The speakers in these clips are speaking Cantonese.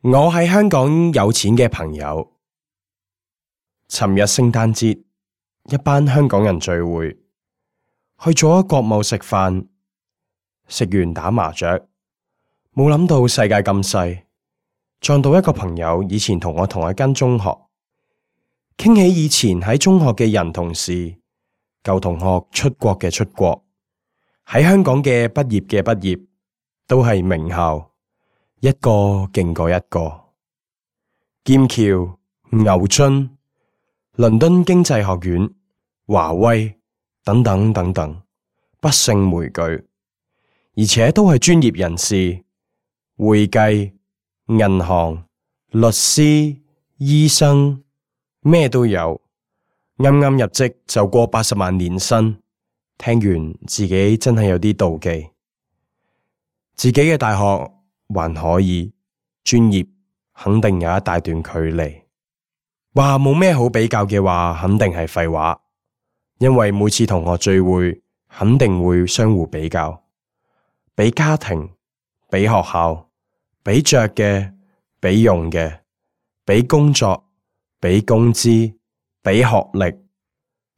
我喺香港有錢嘅朋友，尋日聖誕節，一班香港人聚會，去咗國貿食飯，食完打麻雀，冇諗到世界咁細，撞到一個朋友，以前同我同一間中學，傾起以前喺中學嘅人同事，舊同學出國嘅出國，喺香港嘅畢業，都係名校。一個勁過一個，劍橋、牛津、倫敦經濟學院、華威等等，不勝枚舉，而且都係專業人士，會計、銀行、律師、醫生，咩都有。啱啱入職就過80萬年薪，聽完自己真係有啲妒忌。自己嘅大學還可以，專業肯定有一大段距離。話冇咩好比較嘅話，肯定係廢話。因為每次同學聚會，肯定會相互比較，比家庭，比學校，比着嘅，比用嘅，比工作，比工資，比學歷，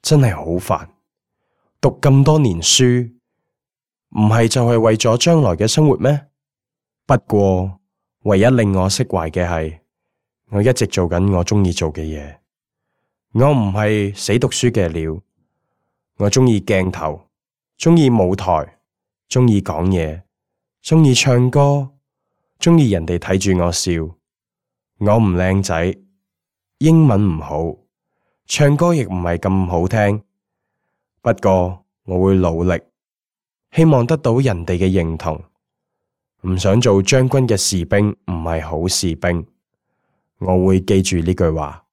真係好煩。讀咁多年書，唔係就係為咗將來嘅生活咩？不過，唯一令我釋懷嘅係，我一直做緊我鍾意做嘅嘢。我唔係死讀書嘅料，我鍾意鏡頭，鍾意舞台，鍾意講嘢，鍾意唱歌，鍾意人哋睇住我笑。我唔靚仔，英文唔好，唱歌亦唔係咁好聽。不過我會努力，希望得到人哋嘅認同。唔想做將軍嘅士兵，唔係好士兵。我會記住呢句話。